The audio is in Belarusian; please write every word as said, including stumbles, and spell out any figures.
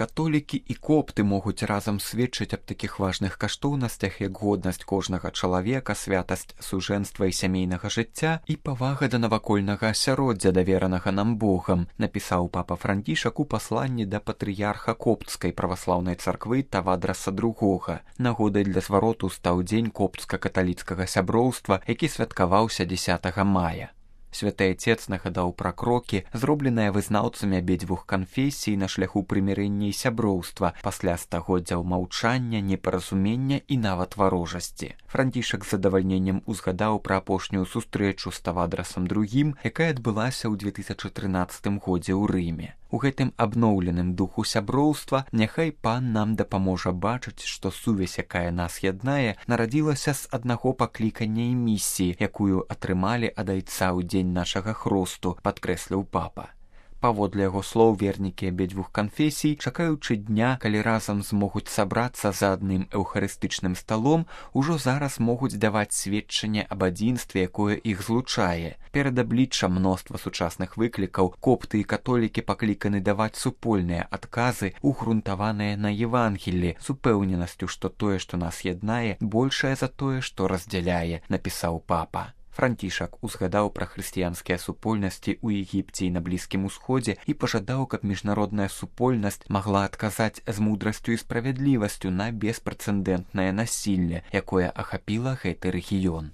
католікі і копты могуць разам сведчыць аб такіх важных каштоўнасцях, як годнасць кожнага чалавека, святасць сужэнства і сямейнага жыцця і павага да навакольнага асяроддзя, даверанага нам Богам, напісаў папа Францішак у пасланні да патрыярха коптскай праваслаўнай царквы Тавадраса другога. Нагодай для звароту стаў дзень коптска-каталіцкага сяброўства, які святкаваўся дзесятага мая. Святы Айцец нагадаў пра крокі, зробленыя вызнаўцамі абедзвюх канфесій на шляху прымірэння і сяброўства пасля стагоддзяў маўчання, непаразумення і нават варожасці. Францішак з задавальненнем узгадаў пра апошнюю сустрэчу з Тавадрасам другім, якая адбылася ў две тысячы трынаццатым годзе ў Рыме. У гэтым абноўленым духу сяброўства няхай пан нам дапаможа бачыць, што сувязь, якая нас яднае, нарадзілася з аднаго паклікання і місіі, якую атрымалі ад Айца ў дзень нашага хросту, падкрэсліў папа. Паводле яго слоў, вернікі абедзвюх канфесій, чакаючы дня, калі разам змогуць сабрацца за адным эўхарыстычным сталом, ужо зараз могуць даваць сведчанне аб адзінстве, якое іх злучае. Перад абліччам мноства сучасных выклікаў копты і католікі пакліканы даваць супольныя адказы, угрунтаваныя на Евангеллі, з упэўненасцю, што тое, што нас яднае, большае за тое, што раздзяляе, напісаў папа. Францішак узгадаў пра хрысціянскія супольнасці ў Егіпце і на Блізкім Усходзе і пажадаў, каб міжнародная супольнасць магла адказаць з мудрасцю і справядлівасцю на беспрэцэдэнтнае насілле, якое ахапіла гэты рэгіён.